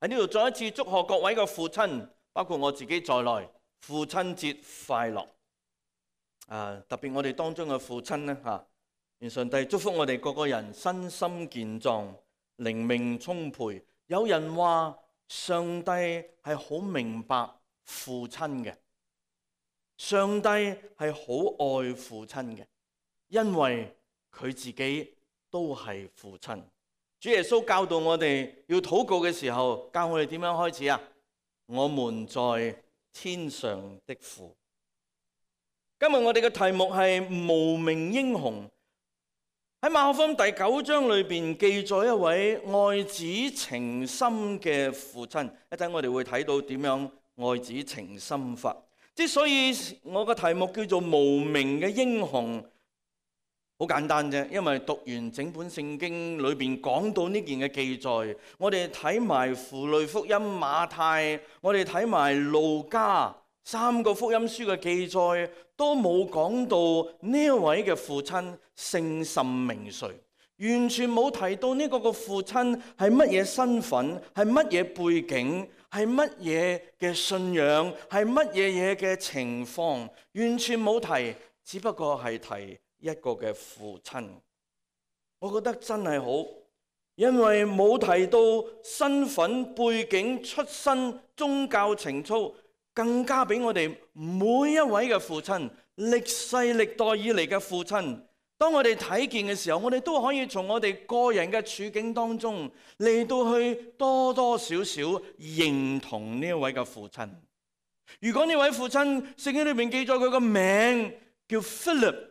喺呢度再一次祝賀各位嘅父親，包括我自己在內，父親節快樂！特別我哋當中嘅父親呢，願上帝祝福我哋各個人身心健壯、靈命充沛。有人話上帝係好明白父親嘅，上帝係好愛父親嘅，因為佢自己都係父親。主耶穌教導我哋要禱告嘅時候，教我哋點樣開始啊？我們在天上的父。今日我哋嘅題目係無名英雄。喺馬可福音第9章裏邊記載一位愛子情深嘅父親。一陣我哋會睇到點樣愛子情深法。之所以我嘅題目叫做無名嘅英雄，好簡單啫，因為讀完整本聖經裏邊講到呢件嘅記載，我哋睇埋符類福音、馬太，我哋睇埋路加3個福音書嘅記載，都冇講到呢一位嘅父親姓甚名誰，完全冇提到呢個嘅父親係乜嘢身份，係乜嘢背景，係乜嘢嘅信仰，係乜嘢嘢嘅情況，完全冇提，只不過係提一個嘅父親。我覺得真係好，因為冇提到身份背景、出身、宗教情操，更加俾我哋每一位嘅父親，歷世歷代以嚟嘅父親，當我哋睇見嘅時候，我哋都可以從我哋個人嘅處境當中嚟到去多多少少認同呢一位嘅父親。如果呢位父親聖經裏面記載佢個名叫 Philip，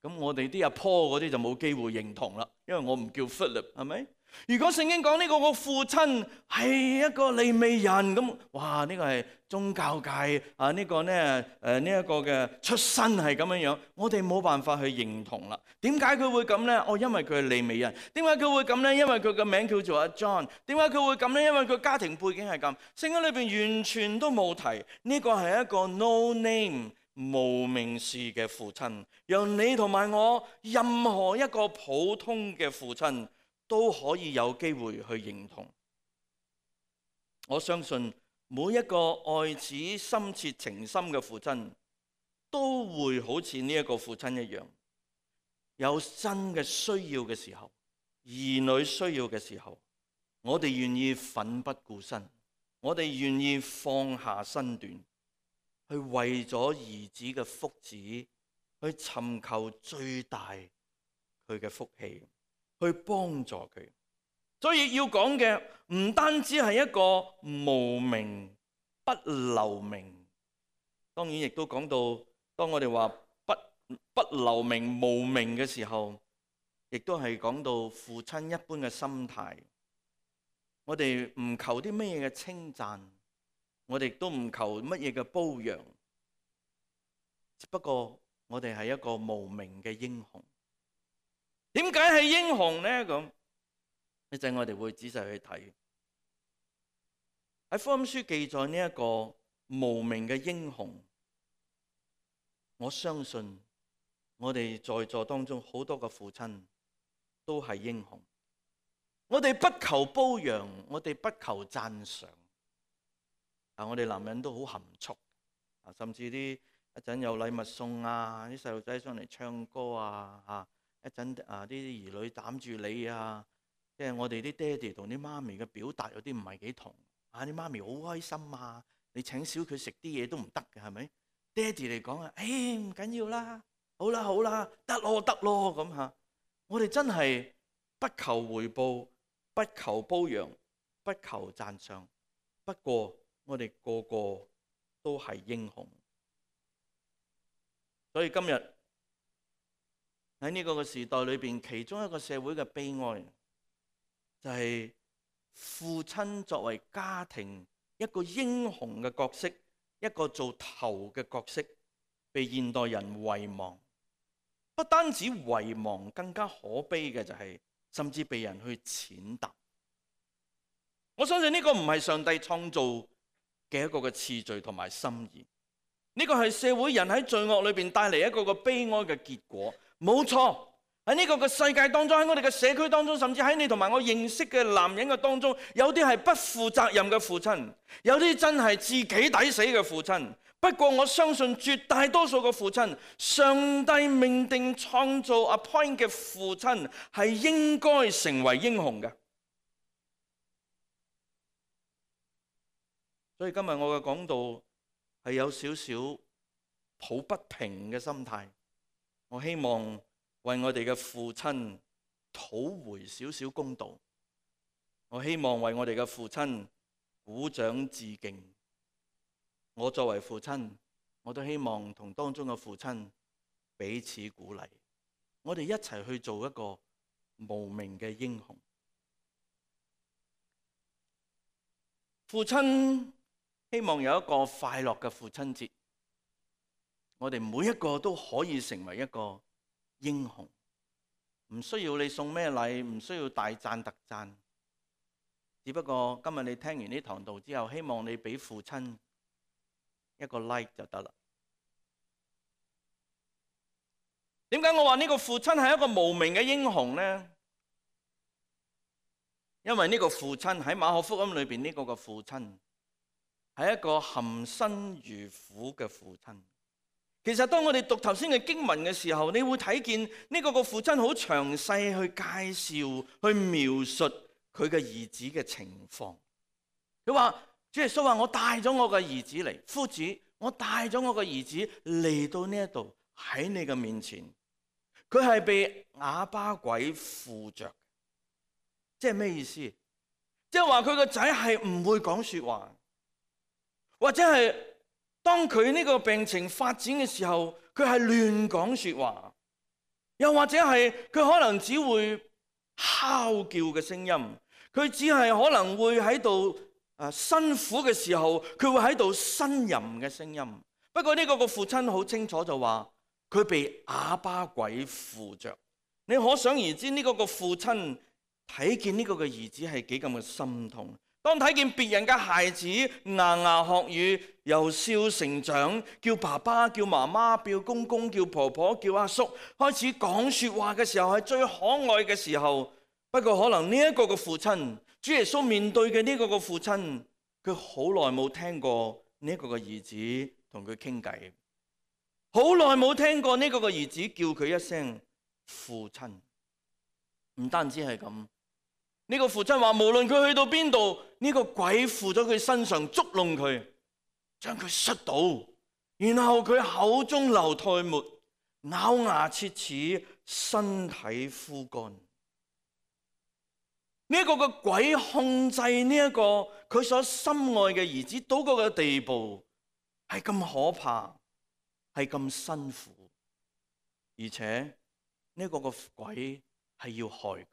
咁我哋啲阿婆嗰啲就冇機會認同啦，因為我唔叫 Philip， 係咪？如果聖經講呢個父親係一個利未人，咁哇，呢個係宗教界呢個呢呢一個嘅出身係咁樣樣，我哋冇辦法去認同啦。點解佢會咁呢？因為佢係利未人。點解佢會咁呢？因為佢個名叫做阿 John。點解佢會咁呢？因為佢家庭背景係咁。聖經裏邊完全都冇提呢個係一個 no name 無名氏嘅父親，讓你同埋我任何一個普通嘅父親都可以有機會去認同。我相信每一個愛子深切情深嘅父親都會好似呢一個父親一樣，有真嘅需要嘅時候，兒女需要嘅時候，我哋願意奮不顧身，我哋願意放下身段，去為咗兒子嘅福祉，去尋求最大佢嘅福氣，去幫助佢。所以要講嘅唔單止係一個無名不留名，當然亦都講到，當我哋話不留名無名嘅時候，亦都係講到父親一般嘅心態。我哋唔求啲乜嘢嘅稱讚，我哋亦都唔求乜嘢嘅褒揚，只不過我哋係一個無名嘅英雄。點解係英雄呢？咁一陣我哋會仔細去睇。喺福音書記載呢一個無名嘅英雄，我相信我哋在座當中好多個父親都係英雄。我哋不求褒揚，我哋不求讚賞。我哋男人都好含蓄，甚至一陣有禮物送啲細路仔上嚟唱歌一陣啲兒女攬住你即係我哋啲爹哋同啲媽咪嘅表達有啲唔係幾同。啲媽咪好開心你請少佢食啲嘢都唔得嘅，係咪？爹哋嚟講唔緊要啦，好啦，得咯咁我哋真係不求回報，不求褒揚，不求讚賞。不過我哋個個都係英雄。所以今日喺呢個時代裏邊，其中一個社會嘅悲哀就係父親作為家庭一個英雄嘅角色，一個做頭嘅角色，被現代人遺忘。不單止遺忘，更加可悲嘅就係甚至被人去踐踏。我相信呢個唔係上帝創造嘅一個嘅次序同埋心意，呢個係社會人喺罪惡裏邊帶嚟一個嘅悲哀嘅結果。冇錯，喺呢個嘅世界當中，喺我哋嘅社區當中，甚至喺你同埋我認識嘅男人嘅當中，有啲係不負責任嘅父親，有啲真係自己抵死嘅父親。不過我相信絕大多數嘅父親，上帝命定創造 appoint 嘅父親係應該成為英雄嘅。所以今日我嘅講道係有少少抱不平嘅心態，我希望為我哋嘅父親討回少少公道，我希望為我哋嘅父親鼓掌致敬。我作為父親，我都希望同當中嘅父親彼此鼓勵，我哋一齊去做一個無名嘅英雄。父親希望有一個快樂嘅父親節，我哋每一個都可以成為一個英雄，唔需要你送咩禮，唔需要大讚特讚，只不過今日你聽完呢堂道之後，希望你俾父親一個 like 就得啦。點解我話呢個父親係一個無名嘅英雄呢？因為呢個父親喺馬可福音裏邊，呢個嘅父親係一個含辛茹苦嘅父親。其實當我哋讀頭先嘅經文嘅時候，你會睇見呢個父親好詳細去介紹、去描述佢嘅兒子嘅情況。佢話：主耶穌話，我帶咗我嘅兒子嚟，夫子，我帶咗我嘅兒子嚟到呢一度喺你嘅面前。佢係被啞巴鬼附着，即係咩意思？即係話佢個仔係唔會講說話，或者係當佢呢個病情發展嘅時候，佢係亂講說話，又或者係佢可能只會嚎叫嘅聲音，佢只係可能會喺度辛苦嘅時候，佢會喺度呻吟嘅聲音。不過呢個父親好清楚就話，佢被啞巴鬼附着。你可想而知呢個父親睇見呢個嘅兒子係幾咁嘅心痛。當睇見別人嘅孩子牙牙學語，由笑成長，叫爸爸、叫媽媽、叫公公、叫婆婆、叫阿叔，開始講說話嘅時候係最可愛嘅時候。不過可能呢一個嘅父親，主耶穌面對嘅呢個嘅父親，佢好耐冇聽過呢一個嘅兒子同佢傾偈，好耐冇聽過呢個嘅兒子叫佢一聲父親。唔單止係咁。呢個父親話，無論佢去到邊度，呢個鬼附咗佢身上，捉弄佢，將佢摔倒，然後佢口中流唾沫，咬牙切齒，身體枯乾。呢個嘅鬼控制呢一個佢所深愛嘅兒子到嗰個地步，係咁可怕，係咁辛苦，而且呢個鬼係要害佢。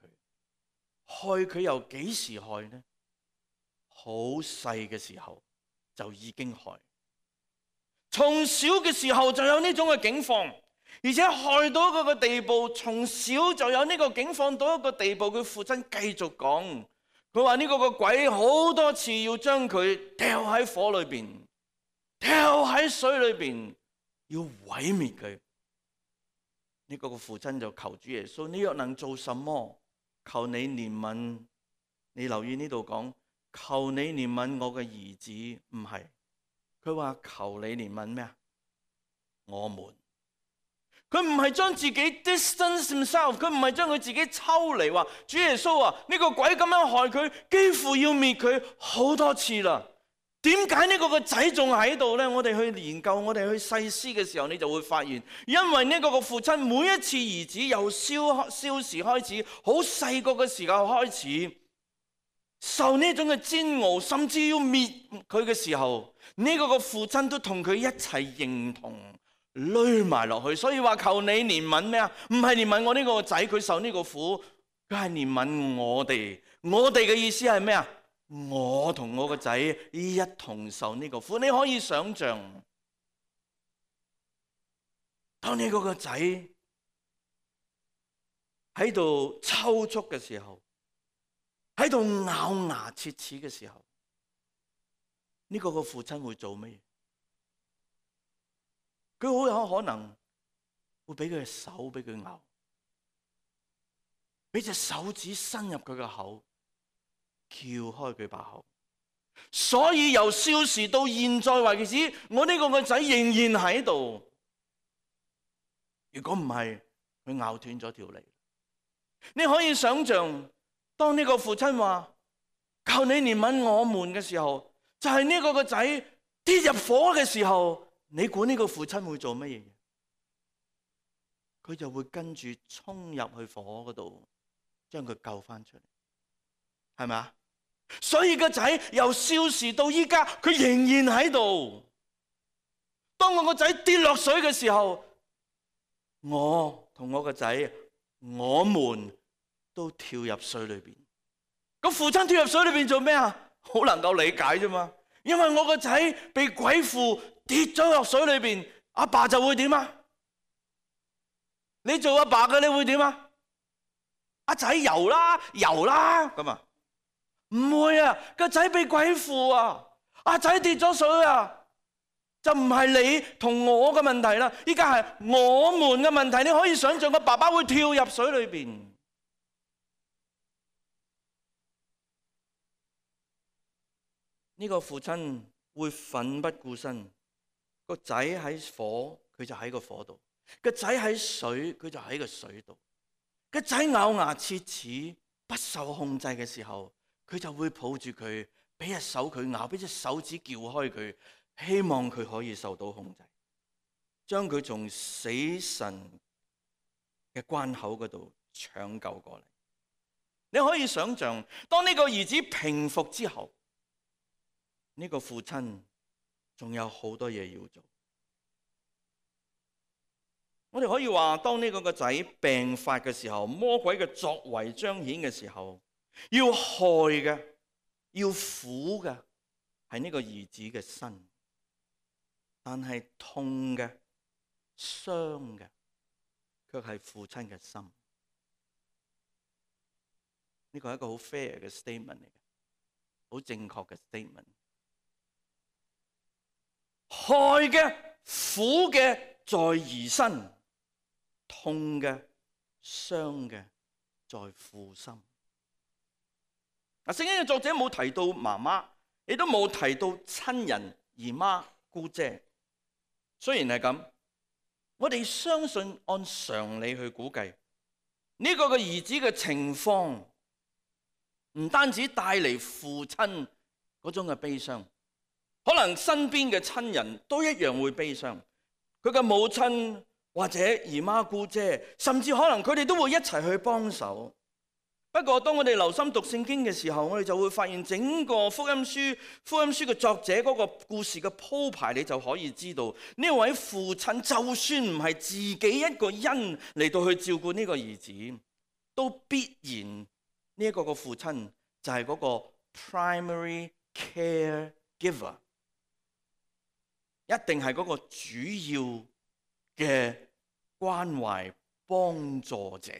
害佢由幾時害呢？好細嘅時候就已經害，從小嘅時候就有呢種嘅境況，而且害到嗰個地步，從小就有呢個境況到一個地步。佢父親繼續講，佢話呢個鬼好多次要將佢掉喺火裏邊，掉喺水裏邊，要毀滅佢。呢個父親就求主耶穌，你若能做什麼？求你憐憫，你留意呢度講，求你憐憫我嘅兒子，唔係，佢話求你憐憫咩啊？我們，佢唔係將自己 distance himself， 佢唔係將佢自己抽離，話主耶穌啊，呢個鬼咁樣害佢，幾乎要滅佢好多次啦。點解呢個仔仲喺度呢？我哋去研究，我哋去細思嘅時候，你就會發現，因為呢個父親每一次兒子由少時開始，好細個嘅時候開始受呢種嘅煎熬，甚至要滅佢嘅時候，呢個父親都同佢一齊認同，累埋落去。所以話求你憐憫咩啊？唔係憐憫我呢個仔，佢受呢個苦，佢係憐憫我哋。我哋嘅意思係咩啊？我同我個仔一同受呢個苦。你可以想象，當你嗰個仔喺度抽搐嘅時候，喺度咬牙切齒嘅時候，呢個父親會做咩？佢好有可能會俾佢嘅手俾佢咬，俾隻手指伸入佢嘅口，撬開佢把口。所以由少時到現在為止，我呢個仔仍然喺度。如果唔係，佢咬斷咗條脷。你可以想象，當呢個父親話求你憐憫我們嘅時候，就係呢個仔跌入火嘅時候，你估呢個父親會做乜嘢？佢就會跟住衝入去火嗰度，將佢救翻出嚟，係咪啊？所以個仔由少時到依家，佢仍然喺度。當我個仔跌落水嘅時候，我同我個仔，我們都跳入水裏邊。個父親跳入水裏邊做咩啊？好能夠理解啫嘛。因為我個仔被鬼附跌咗落水裏邊，阿爸就會點啊？你做阿爸嘅，你會點啊？阿仔游啦，游啦咁啊？唔會啊！個仔被鬼附啊，阿仔跌咗水啊，就唔係你同我嘅問題啦，依家係我們嘅問題。你可以想象個爸爸會跳入水裏邊。呢個父親會奮不顧身，個仔喺火，佢就喺個火度；個仔喺水，佢就喺個水度。個仔咬牙切齒、不受控制嘅時候，佢就會抱住佢，俾隻手佢咬，俾隻手指撬開佢，希望佢可以受到控制，將佢從死神嘅關口嗰度搶救過嚟。你可以想象，當呢個兒子平復之後，呢個父親仲有好多嘢要做。我哋可以話，當呢個仔病發嘅時候，魔鬼嘅作為彰顯嘅時候，要害嘅、要苦嘅係呢個兒子嘅身，但係痛嘅、傷嘅卻係父親嘅心。呢個係一個好 fair 嘅 statement 嚟嘅，好正確嘅 statement。害嘅、苦嘅在兒身，痛嘅、傷嘅在父心。聖經嘅作者冇提到媽媽，亦都冇提到親人、姨媽、姑姐。雖然係咁，我哋相信按常理去估計，呢個嘅兒子嘅情況唔單止帶嚟父親嗰種嘅悲傷，可能身邊嘅親人都一樣會悲傷。佢嘅母親或者姨媽姑姐，甚至可能佢哋都會一齊去幫手。不過當我哋留心讀聖經嘅時候，我哋就會發現整個福音書嘅作者嗰個故事嘅鋪排，你就可以知道呢位父親就算唔係自己一個人嚟到去照顧呢個兒子，都必然呢一個嘅父親就係嗰個 primary caregiver， 一定係嗰個主要嘅關懷幫助者。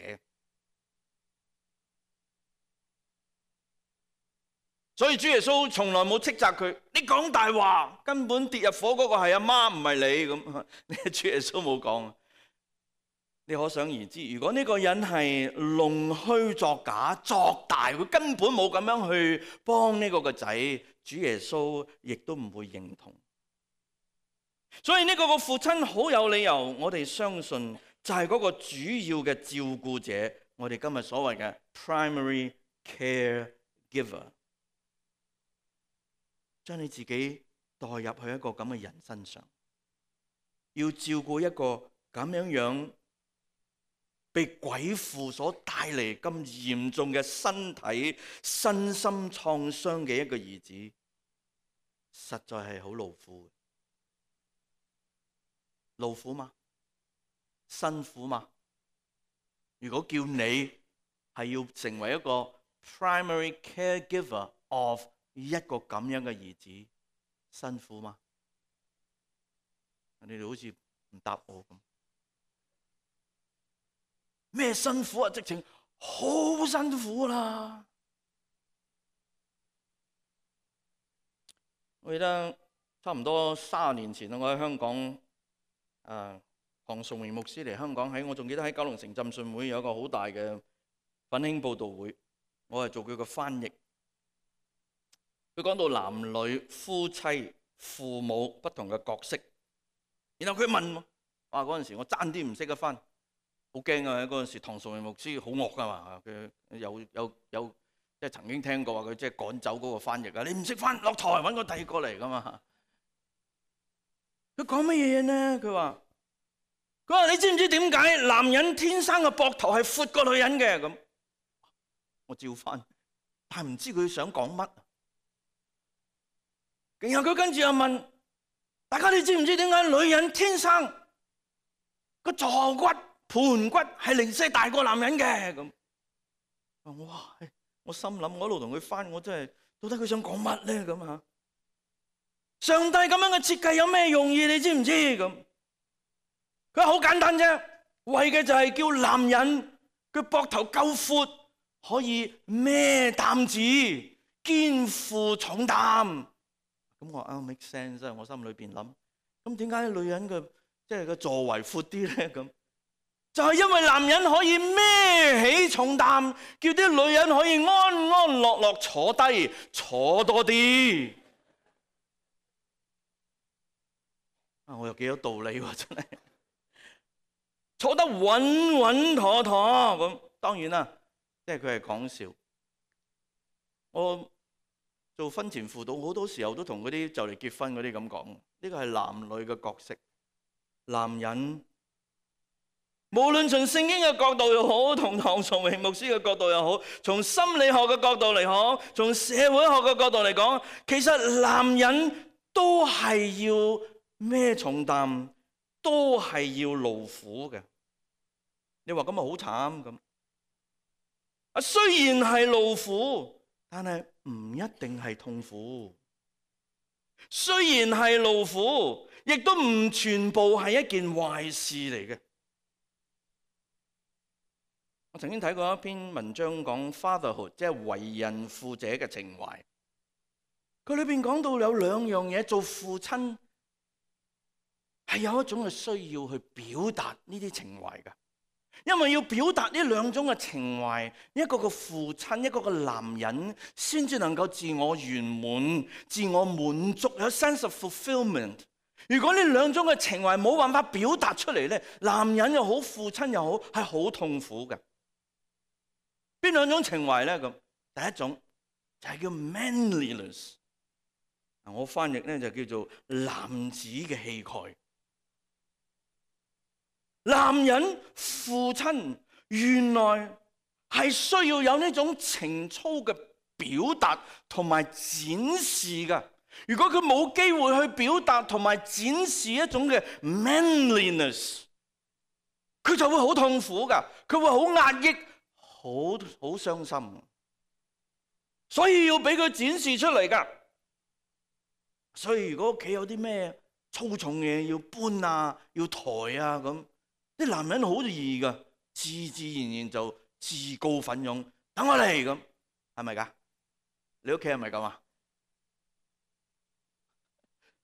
所以主耶穌從來冇斥責佢，你講大話，根本跌入火嗰個係阿媽，唔係你咁。主耶穌冇講。你可想而知，如果呢個人係弄虛作假、作大，佢根本冇咁樣去幫呢個仔，主耶穌亦都唔會認同。所以呢個父親好有理由，我哋相信就係嗰個主要嘅照顧者，我哋今日所謂嘅 primary caregiver。將你自己代入去一個咁嘅人身上，要照顧一個咁樣被鬼附所帶嚟咁嚴重嘅身體身心創傷嘅一個兒子，實在係好勞苦。勞苦嘛？辛苦嘛？如果叫你係要成為一個 primary caregiver of 一個咁樣嘅兒子，辛苦嗎？你哋好似唔答我咁。咩辛苦啊？直情好辛苦啦！我記得差唔多30年前我喺香港，韓崇榮牧師嚟香港，我仲記得喺九龍城浸信會有一個好大嘅奮興佈道會，我係做佢個翻譯。佢講到男女、夫妻、父母不同嘅角色，然後佢問我，哇！嗰陣時我爭啲唔識得翻，好驚啊！嗰陣時唐崇榮牧師好惡噶嘛，佢有即係曾經聽過話佢即係趕走嗰個翻譯啊！你唔識翻，落台揾個第二個嚟噶嘛。佢講乜嘢呢？佢話你知唔知點解男人天生嘅膊頭係闊過女人嘅？咁我照翻，但係唔知佢想講乜。然後佢跟住又問大家：你知唔知點解女人天生個坐骨、盤骨係零舍大過男人嘅？咁哇！我心諗，我一路同佢翻，我真係到底佢想講乜咧？咁啊，上帝咁樣嘅設計有咩用意？你知唔知？咁佢話好簡單啫，為嘅就係叫男人佢膊頭夠闊，可以孭擔子、肩負重擔。咁我話make sense， 我心裏邊諗，咁點解女人嘅即係個座位闊啲咧？咁就係因為男人可以孭起重擔，叫啲女人可以安安樂樂坐低，坐多啲。我有幾多道理喎，真係坐得穩穩妥妥。咁當然啦，即係佢係講笑。我做婚前輔導好多時候都同嗰啲就嚟結婚嗰啲咁講，呢個係男女嘅角色。男人無論從聖經嘅角度又好，同唐崇榮牧師嘅角度又好，從心理學嘅角度嚟講，從社會學嘅角度嚟講，其實男人都係要孭重擔，都係要勞苦嘅。你話咁咪好慘咁？雖然係勞苦，但係唔一定係痛苦。雖然係勞苦，亦都唔全部係一件壞事嚟嘅。我曾經睇過一篇文章講 fatherhood， 即係為人父者嘅情懷。佢裏邊講到有兩樣嘢，做父親係有一種嘅需要去表達呢啲情懷嘅。因為要表達呢兩種嘅情懷，一個個父親，一個個男人，先至能夠自我圓滿、自我滿足，有 sense of fulfillment。如果呢兩種嘅情懷冇辦法表達出嚟咧，男人又好，父親又好，係好痛苦嘅。邊兩種情懷咧？咁第一種就係叫 manliness， 我翻譯咧就叫做男子嘅氣概。男人父親原來係需要有呢種情操嘅表達同埋展示嘅。如果佢冇機會去表達同埋展示一種嘅 manliness， 佢就會好痛苦噶，佢會好壓抑，好傷心。所以要俾佢展示出嚟噶。所以如果屋企有啲咩粗重嘢要搬啊，要抬啊咁，啲男人好易噶，自然就自告奮勇，等我嚟咁，係咪噶？你屋企係咪咁啊？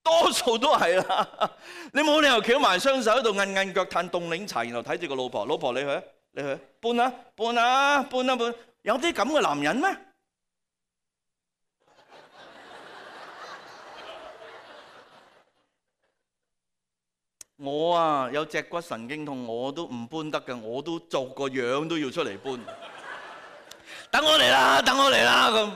多數都係啦，你冇理由翹埋雙手喺度韌韌腳嘆凍檸茶，然後睇住個老婆，老婆你去搬啊，有啲咁嘅男人咩？我啊有脊骨神經痛，我都唔搬得嘅，我都做個樣都要出嚟搬。等我嚟啦，等我嚟啦咁。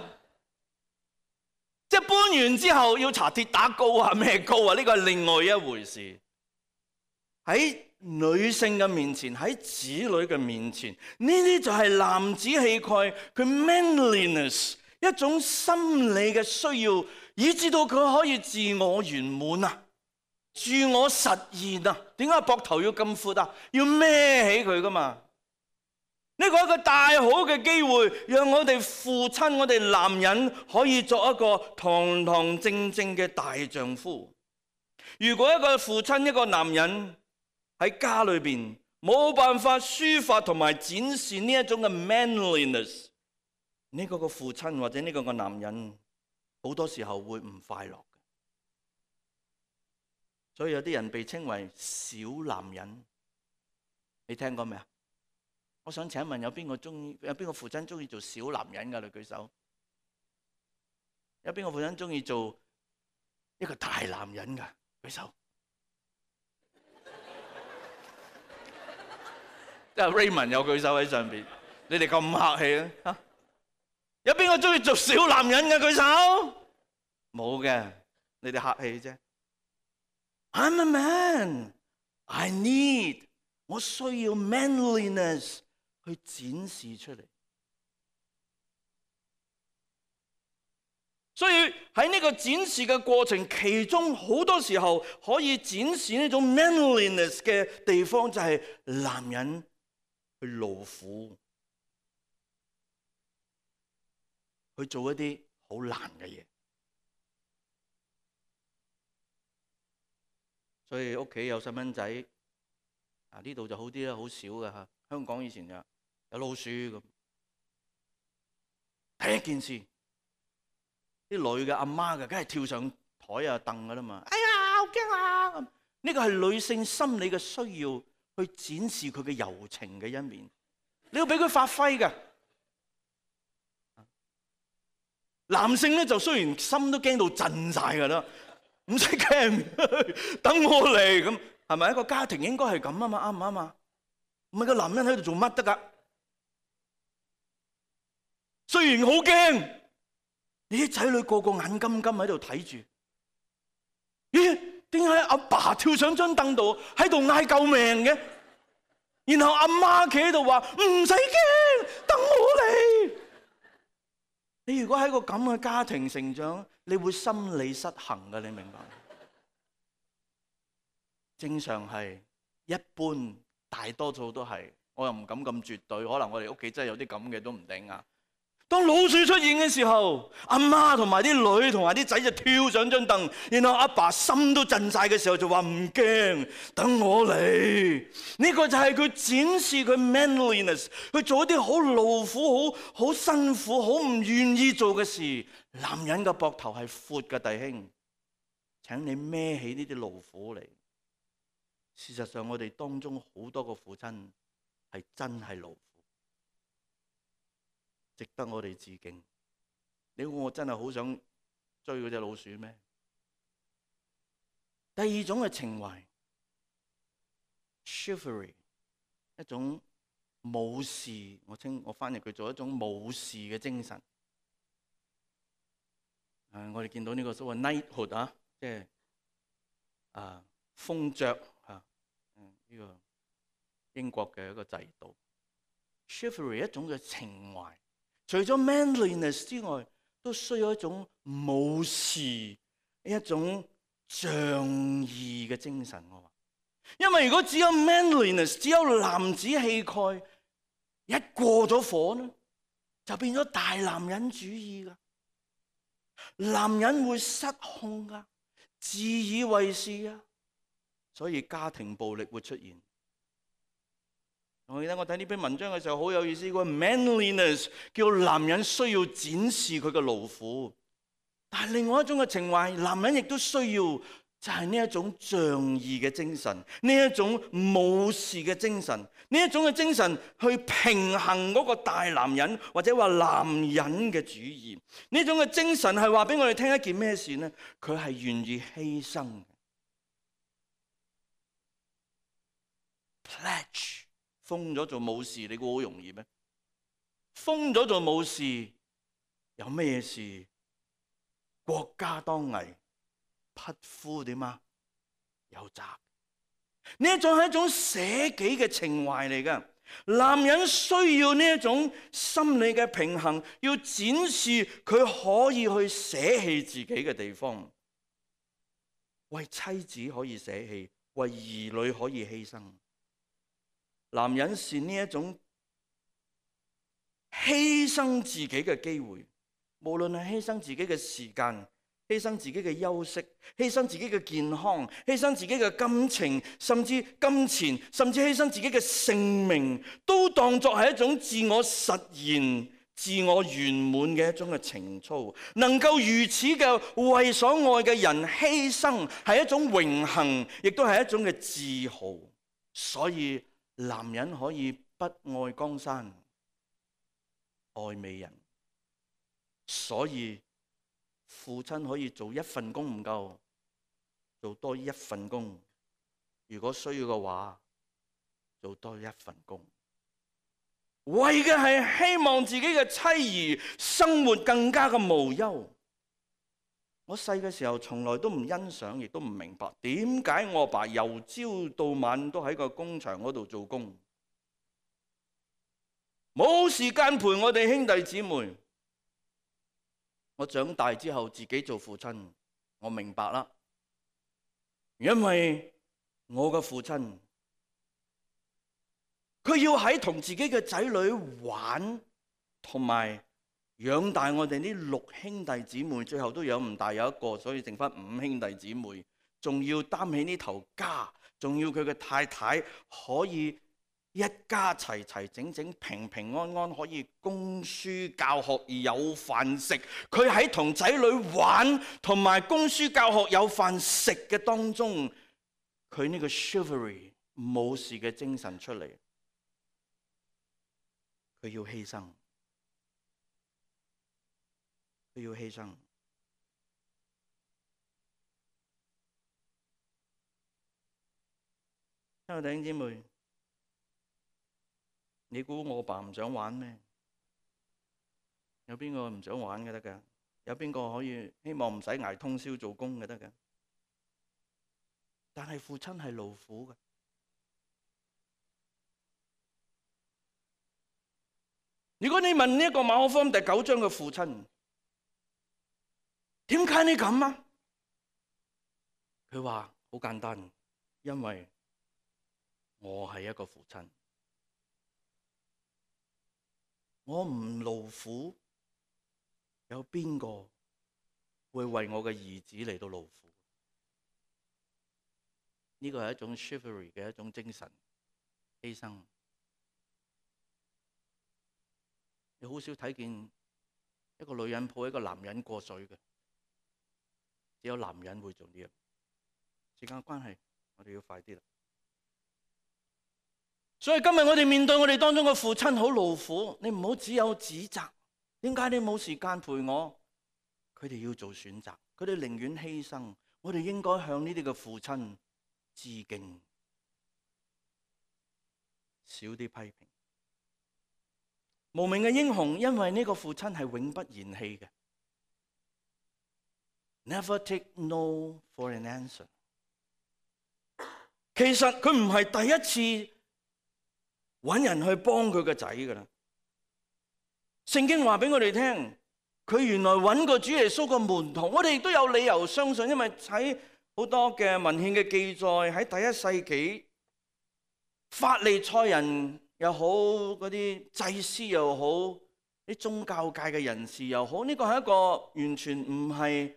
即係搬完之後要搽跌打膏啊，咩膏啊？呢個係另外一回事。喺女性嘅面前，喺子女嘅面前，呢啲就係男子氣概，佢 manliness 一種心理嘅需要，以致到佢可以自我圓滿啊，自我實現啊。點解膊頭要咁闊啊？要孭起佢噶嘛？呢個係一個大好嘅機會，讓我哋父親，我哋男人可以作一個堂堂正正嘅大丈夫。如果一個父親，一個男人喺家裏邊冇辦法抒發同埋展示呢一種嘅 manliness， 呢個父親或者呢個男人好多時候會唔快樂。所以有啲人被稱為小男人，你聽過未啊？我想請問有邊個父親中意做小男人㗎？你舉手。有邊個父親中意做一個大男人㗎？舉手。即係 Raymond 有舉手喺上邊，你哋咁客氣啊？有邊個中意做小男人嘅？舉手。冇嘅，你哋客氣啫。I'm a man. I need. 我需要 manliness 去展示出嚟。所以喺呢個展示嘅過程，其中好多時候可以展示呢種 manliness 嘅地方，就係男人去勞苦，去做一啲好難嘅嘢。所以屋企有細蚊仔，呢度就好啲啦，好少㗎嚇。香港以前就有老鼠咁。第一件事，啲女嘅阿媽嘅，梗係跳上台啊凳㗎啦嘛。哎呀，好驚啊！呢個係女性心理嘅需要，去展示佢嘅柔情嘅一面。你要俾佢發揮㗎。男性咧就雖然心都驚到震晒㗎啦。唔使驚，等我嚟咁，係咪一個家庭應該係咁啊嘛？啱唔啱啊？唔係個男人喺度做乜得㗎？雖然好驚，你啲仔女個個眼金金喺度睇住，咦？點解阿爸跳上張凳度喺度嗌救命嘅？然後阿媽企喺度話唔使驚，等我嚟。你如果喺個咁嘅家庭成長，你會心理失衡㗎，你明白？正常係一般，大多數都係，我又唔敢咁絕對，可能我哋屋企真係有啲咁嘅都唔定啊。當老鼠出現嘅時候，阿媽同埋啲女同埋啲仔就跳上張凳，然後阿爸心都震晒嘅時候就話唔驚，等我嚟。呢個就係佢展示佢 manliness， 去做一啲好勞苦、好辛苦、好唔願意做嘅事。男人嘅膊頭係闊嘅，弟兄，請你孭起呢啲勞苦嚟。事實上，我哋當中好多個父親係真係勞苦，值得我哋致敬。你估我真係好想追嗰隻老鼠咩？第二種嘅情懷 ，chivalry， 一種武士，我翻譯佢做一種武士嘅精神。我哋見到呢個所謂 knighthood 啊，即係封爵呢個英國嘅一個制度。chivalry 一種嘅情懷，除咗 manliness 之外，都需要一種武士，一種仗義嘅精神。我話，因為如果只有 manliness， 只有男子氣概，一過咗火呢，就變咗大男人主義噶。男人會失控噶，自以為是啊，所以家庭暴力會出現。我記得我睇呢篇文章嘅時候好有意思，個 manliness 叫男人需要展示佢嘅勞苦，但係另外一種嘅情懷，男人亦都需要，就係呢一種仗義嘅精神，呢一種武士嘅精神，呢一種嘅精神去平衡嗰個大男人或者話男人嘅主義。呢種嘅精神係話俾我哋聽一件咩事呢？佢係願意犧牲嘅。Pledge。封咗做武士，你估好容易咩？封咗做武士有咩事？國家當危，匹夫點啊？有責。呢一種係一種捨己嘅情懷嚟㗎。男人需要呢一種心理嘅平衡，要展示佢可以去捨棄自己嘅地方，為妻子可以捨棄，為兒女可以犧牲。男人是呢一種犧牲自己嘅機會，無論係犧牲自己嘅時間，犧牲自己嘅休息，犧牲自己嘅健康，犧牲自己嘅感情，甚至金錢，甚至犧牲自己嘅性命，都當作係一種自我實現、自我圓滿嘅一種嘅情操。能夠如此嘅為所愛嘅人犧牲，係一種榮幸，亦都係一種嘅自豪。所以男人可以不愛江山愛美人，所以父親可以做一份工唔夠，做多一份工，如果需要嘅話，做多一份工，為嘅係希望自己嘅妻兒生活更加嘅無憂。我細嘅時候從來都唔欣賞，亦都唔明白點解我爸由朝到晚都喺個工場嗰度做工，冇時間陪我哋兄弟姊妹。我長大之後自己做父親，我明白啦，因為我嘅父親佢要喺同自己嘅仔女玩，同埋養大我哋呢6兄弟姊妹，最後都養唔大，有一個，所以剩翻5兄弟姊妹，仲要擔起呢頭家，仲要佢嘅太太可以一家齊齊整整平平安安可以供書教學而有飯食。佢喺同仔女玩同埋供書教學有飯食嘅當中，佢呢個 chivalry 武士嘅精神出嚟，佢要犧牲，佢要犧牲。親愛的弟兄姊妹，你估我爸唔想玩咩？有邊個唔想玩嘅得㗎？有邊個可以希望唔使捱通宵做工嘅得㗎？但係父親係勞苦嘅。如果你問呢一個馬可福音第9章嘅父親，點解你咁啊？佢話好簡單，因為我係一個父親，我唔勞苦，有邊個會為我嘅兒子嚟到勞苦？呢個係一種 chivalry 嘅一種精神犧牲。你好少睇見一個女人抱一個男人過水嘅，只有男人會做呢樣。時間關係，我哋要快啲啦。所以今日我哋面對我哋當中嘅父親好勞苦，你唔好只有指責，點解你冇時間陪我？佢哋要做選擇，佢哋寧願犧牲。我哋應該向呢啲嘅父親致敬，少啲批評。無名嘅英雄，因為呢個父親係永不言棄嘅。Never take no for an answer。其實佢唔係第一次揾人去幫佢個仔噶啦。聖經話俾我哋聽，佢原來揾過主耶穌個門徒。我哋亦都有理由相信，因為喺好多嘅文獻嘅記載，喺第1世紀，法利賽人又好，嗰啲祭司又好，啲宗教界嘅人士又好，呢個係一個完全唔係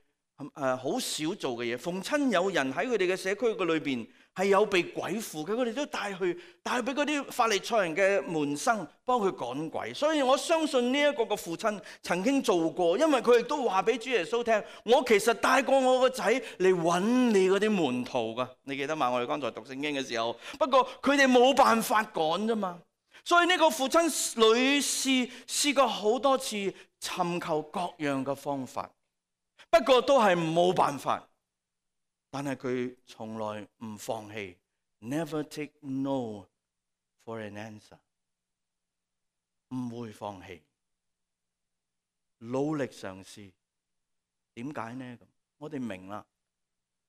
好少做嘅嘢。逢親有人喺佢哋嘅社區嘅裏邊係有被鬼附嘅，佢哋都帶去俾嗰啲法利賽人嘅門生幫佢趕鬼。所以我相信呢一個嘅父親曾經做過，因為佢亦都話俾主耶穌聽：我其實帶過我個仔嚟揾你嗰啲門徒噶。你記得嘛？我哋剛才讀聖經嘅時候，不過佢哋冇辦法趕啫嘛。所以呢個父親屢試過好多次尋求各樣嘅方法，不過都係冇辦法。但係佢從來唔放棄 ，never take no for an answer， 唔會放棄，努力嘗試。點解呢？我哋明啦，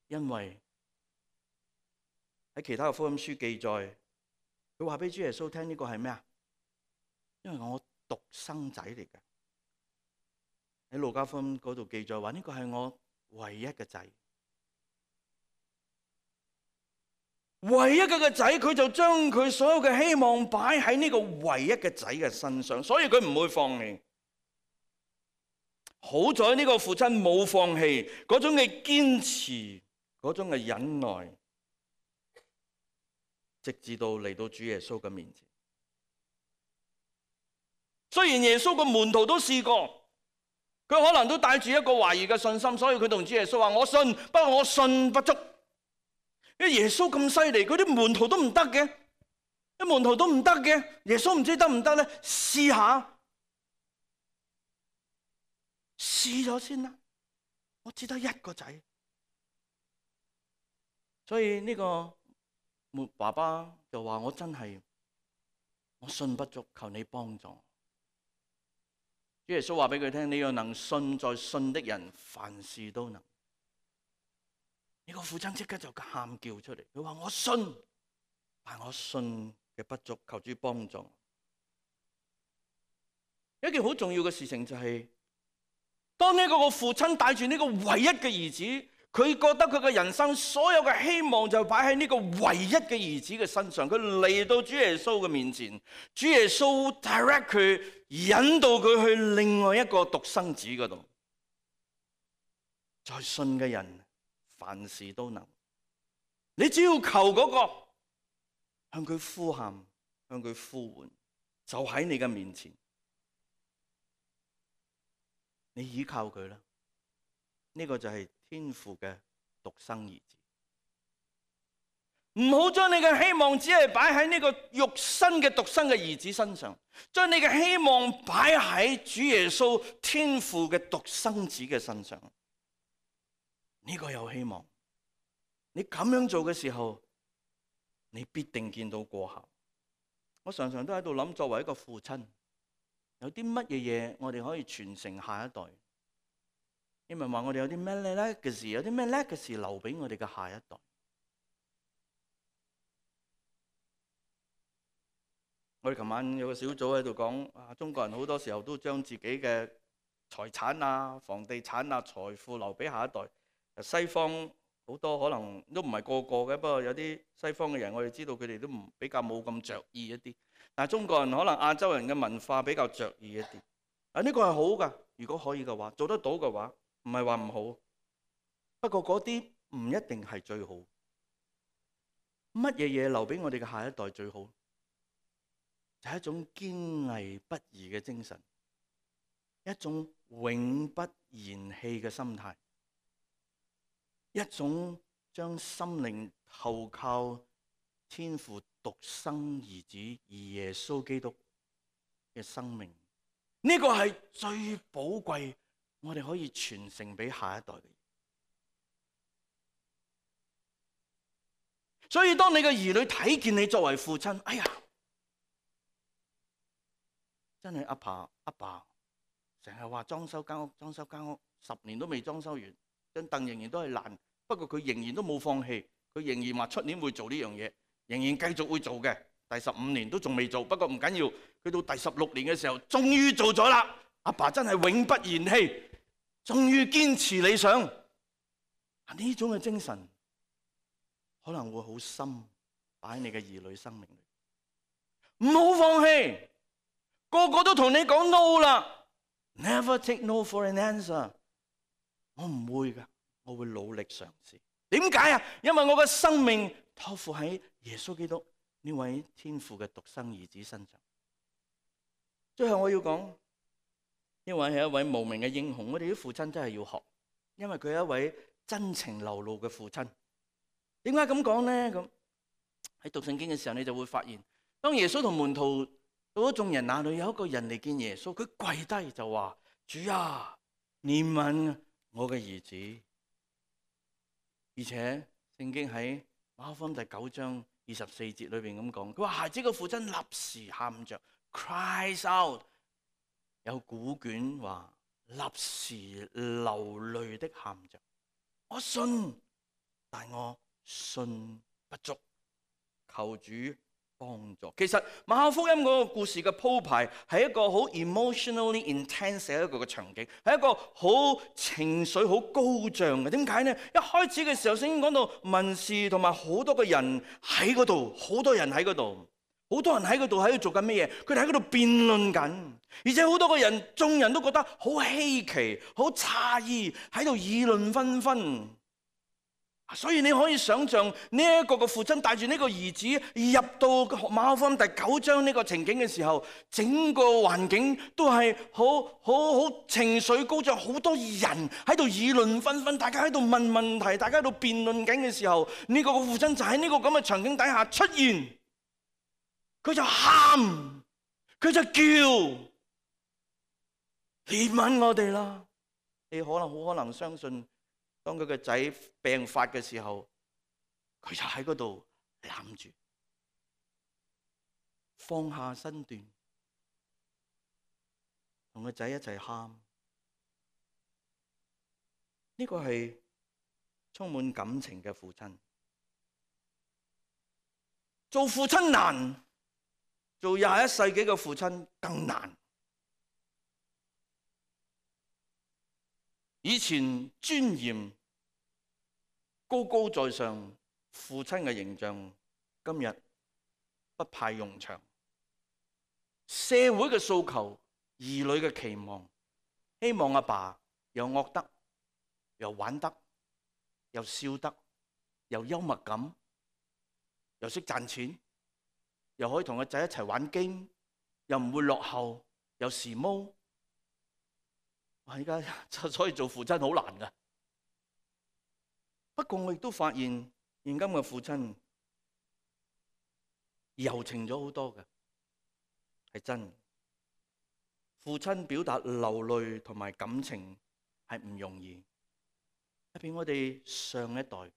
因為喺其他嘅福音書記載。佢話俾主耶穌聽，呢個係咩啊？因為我獨生仔嚟嘅。喺路加福音嗰度記載話，呢個係我唯一嘅仔。唯一嘅仔，佢就將佢所有嘅希望擺喺呢個唯一嘅仔嘅身上，所以佢唔會放棄。好在呢個父親冇放棄，嗰種嘅堅持，嗰種嘅忍耐，直至到嚟到主耶穌嘅面前。雖然耶穌個門徒都試過，佢可能都帶住一個懷疑嘅信心，所以佢同主耶穌話：我信，不過我信不足。因為耶穌咁犀利，佢啲門徒都唔得嘅。啲門徒都唔得嘅，耶穌唔知得唔得咧？試下，試咗先啦。我只得一個仔，所以呢個爸爸就話：我真係我信不足，求你幫助。主耶穌話俾佢聽：你要能信，在信的人凡事都能。呢個父親即刻就喊叫出嚟，佢話：我信，但我信嘅不足，求主幫助。一件好重要嘅事情就係，當呢個父親帶住呢個唯一嘅兒子，佢覺得佢嘅人生所有嘅希望就擺喺呢個唯一嘅兒子嘅身上。佢嚟到主耶穌嘅面前，主耶穌 direct 佢，引導佢去另外一個獨生子嗰度。在信嘅人凡事都能，你只要求嗰個，向佢呼喊，向佢呼喚，就喺你嘅面前。你依靠佢啦，呢個就係天父嘅獨生兒子。唔好將你嘅希望只係擺喺呢個肉身嘅獨生嘅兒子身上，將你嘅希望擺喺主耶穌天父嘅獨生子嘅身上。呢個有希望。你咁樣做嘅時候，你必定見到過效。我常常都喺度諗，作為一個父親，有啲乜嘢嘢我哋可以傳承下一代？你咪話我哋有啲咩叻嘅事，有啲咩叻嘅事留俾我哋嘅下一代。我哋琴晚有個小組喺度講，中國人好多時候都將自己嘅財產啊、房地產啊、財富留俾下一代。西方好多可能都唔係個個嘅，不過有啲西方嘅人，我哋知道佢哋都比較冇咁着意一啲。但係中國人可能亞洲人嘅文化比較着意一啲。呢個係好㗎，如果可以嘅話，做得到嘅話，唔係話唔好。不過嗰啲唔一定係最好。乜嘢嘢留俾我哋嘅下一代最好？就係一種堅毅不移嘅精神，一種永不言棄嘅心態，一種將心靈投靠天父獨生兒子耶穌基督嘅生命。呢個係最寶貴，我哋可以傳承俾下一代嘅。所以當你嘅兒女睇見你作為父親，哎呀，真係阿爸成日話裝修間屋，10年都未裝修完，張凳仍然都係爛，不過佢仍然都冇放棄，佢仍然話出年會做呢樣嘢，仍然繼續會做嘅。第15年都仲未做，不過唔緊要，去到第16年嘅時候，終於做咗啦。阿爸真係永不言棄，終於堅持理想。呢種嘅精神可能會好深擺喺你嘅兒女生命裏。唔好放棄，個個都同你講 no 啦 ，never take no for an answer。我唔會㗎，我會努力嘗試。點解啊？因為我嘅生命託付喺耶穌基督呢位天父嘅獨生兒子身上。最後我要講，呢位係一位無名嘅英雄，我哋啲父親真係要學，因為佢係一位真情流露嘅父親。點解咁講呢？咁喺讀聖經嘅時候，你就會發現，當耶穌同門徒到咗眾人那裏，有一個人嚟見耶穌，佢跪低就話：主啊，憐憫我嘅兒子。而且聖經喺馬可福音第9章24節裏邊咁講，佢話孩子嘅父親立時喊着 cries out， 有古卷話立時流淚的喊着。我信，但我信不足，求主幫助。其實馬可福音嗰個故事嘅鋪排係一個好 emotionally intense 嘅一個場景，係一個好情緒好高漲嘅。點解呢？一開始嘅時候聖經講到文士同埋好多個人喺嗰度，好多人喺嗰度，好多人喺嗰度喺度做緊咩嘢？佢哋喺嗰度辯論緊，而且好多個人，眾人都覺得好稀奇、好詫異，喺度議論紛紛。所以你可以想象呢一個嘅父親帶住呢個兒子入到馬可福音第9章呢個情景嘅時候，整個環境都係好情緒高漲，好多人喺度議論紛紛，大家喺度問問題，大家喺度辯論緊嘅時候，呢個嘅父親就喺呢個咁嘅場景底下出現。佢就喊，佢就叫，憐憫我哋啦。你好可能相信，當佢個仔病發嘅時候，佢就喺嗰度攬住，放下身段，同個仔一齊喊。呢個係充滿感情嘅父親。做父親難，做21世紀嘅父親更難。以前尊嚴高高在上父親嘅形象，今日不派用場。社會嘅訴求，兒女嘅期望，希望阿爸又惡得，又玩得，又笑得，又幽默感，又識賺錢，又可以同個仔一齊玩 game，又唔會落後，又時髦。而家所以做父親好難㗎。不過我亦都發現，現今嘅父親柔情咗好多嘅，係真。父親表達流淚同埋感情係唔容易。特別我哋上一代，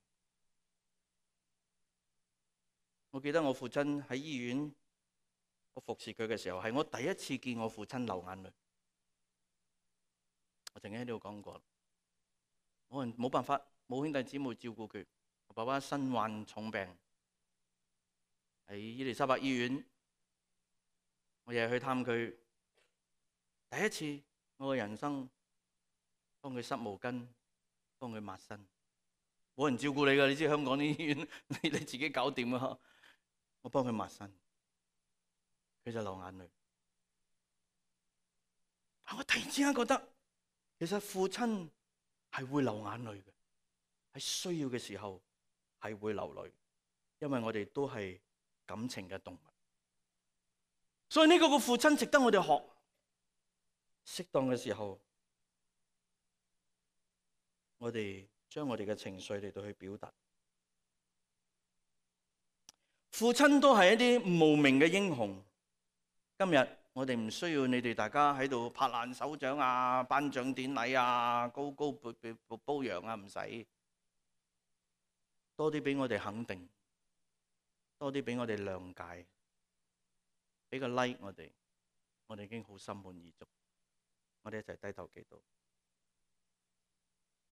我記得我父親喺醫院，我服侍佢嘅時候，係我第一次見我父親流眼淚。我曾經喺呢度講過，冇辦法，冇兄弟姊妹照顧佢。我爸爸身患重病，喺伊利沙伯醫院，我日日去探佢。第一次我嘅人生，幫佢濕毛巾，幫佢抹身，冇人照顧你㗎。你知香港啲醫院，你自己搞掂啊！我幫佢抹身，佢就流眼淚。我突然之間覺得，其實父親係會流眼淚嘅，喺需要嘅時候係會流淚，因為我哋都係感情嘅動物。所以呢個父親值得我哋學。適當嘅時候，我哋將我哋嘅情緒嚟到去表達。父親都係一啲無名嘅英雄。今日我哋唔需要你哋大家喺度拍爛手掌啊、頒獎典禮啊、高高褒揚啊，唔使。多啲俾我哋肯定，多啲俾我哋諒解，俾個 like 我哋已經好心滿意足。我哋一齊低頭祈禱。